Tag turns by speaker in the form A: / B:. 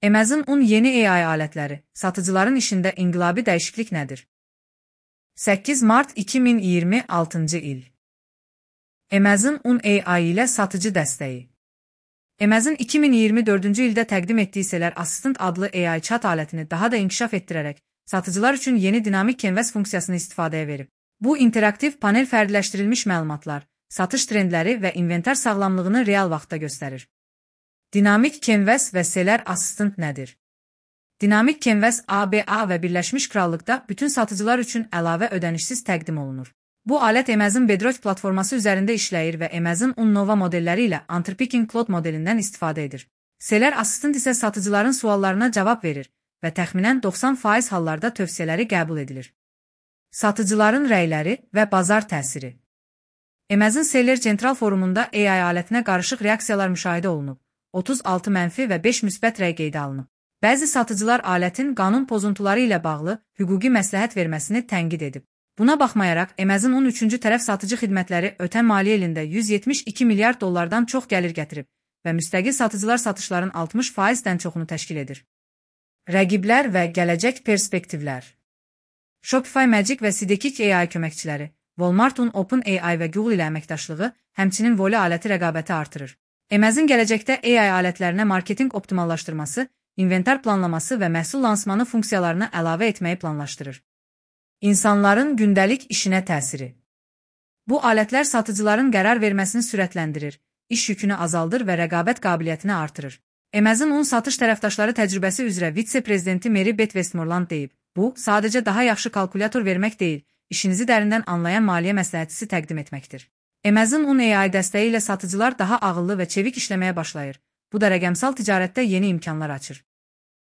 A: Amazon yeni AI alətləri, satıcıların işində inqilabi dəyişiklik nədir? 8 Mart 2026 il. Amazon AI ilə satıcı dəstəyi. Amazon 2024-cü ildə təqdim etdiyi Seller Assistant adlı AI chat alətini daha da inkişaf etdirərək, satıcılar üçün yeni dinamik canvas funksiyasını istifadəyə verib. Bu interaktiv panel fərdiləşdirilmiş məlumatlar, satış trendləri və inventar sağlamlığını real vaxtda göstərir. Dinamik canvas və Seller Assistant nədir? Dinamik canvas ABA və Birləşmiş Krallıqda bütün satıcılar üçün əlavə ödənişsiz təqdim olunur. Bu alət Amazon Bedrock platforması üzərində işləyir və Amazon Nova modelləri ilə Anthropic Claude modelindən istifadə edir. Seller Assistant isə satıcıların suallarına cavab verir və təxminən 90% hallarda tövsiyələri qəbul edilir. Satıcıların rəyləri və bazar təsiri. Amazon Seller Central forumunda AI alətinə qarışıq reaksiyalar müşahidə olunub. 36 mənfi və 5 müsbət rəy qeydə alınıb. Bəzi satıcılar alətin qanun pozuntuları ilə bağlı hüquqi məsləhət verməsini tənqid edib. Buna baxmayaraq, Amazon 13-cü tərəf satıcı xidmətləri ötən maliyyə ilində $172 milyard çox gəlir gətirib və müstəqil satıcılar satışların 60%-dən çoxunu təşkil edir. Rəqiblər və gələcək perspektivlər. Shopify Magic və Sidekick AI köməkçiləri, Walmart'un OpenAI və Google ilə əməkdaşlığı, həmçinin Volley aləti rəqabəti artırır. Amazon gələcəkdə AI alətlərinə marketinq optimallaşdırması, inventar planlaması və məhsul lansmanı funksiyalarını əlavə etməyi planlaşdırır. İnsanların gündəlik işinə təsiri. Bu alətlər satıcıların qərar verməsini sürətləndirir, iş yükünü azaldır və rəqabət qabiliyyətini artırır. Amazon satış tərəfdaşları təcrübəsi üzrə vitse-prezidenti Mary Beth Westmoreland deyib, bu, sadəcə daha yaxşı kalkulyator vermək deyil, işinizi dərindən anlayan maliyyə məsləhətçisi təqdim etməkdir. Amazon AI dəstəyi ilə satıcılar daha ağıllı və çevik işləməyə başlayır. Bu da rəqəmsal ticarətdə yeni imkanlar açır.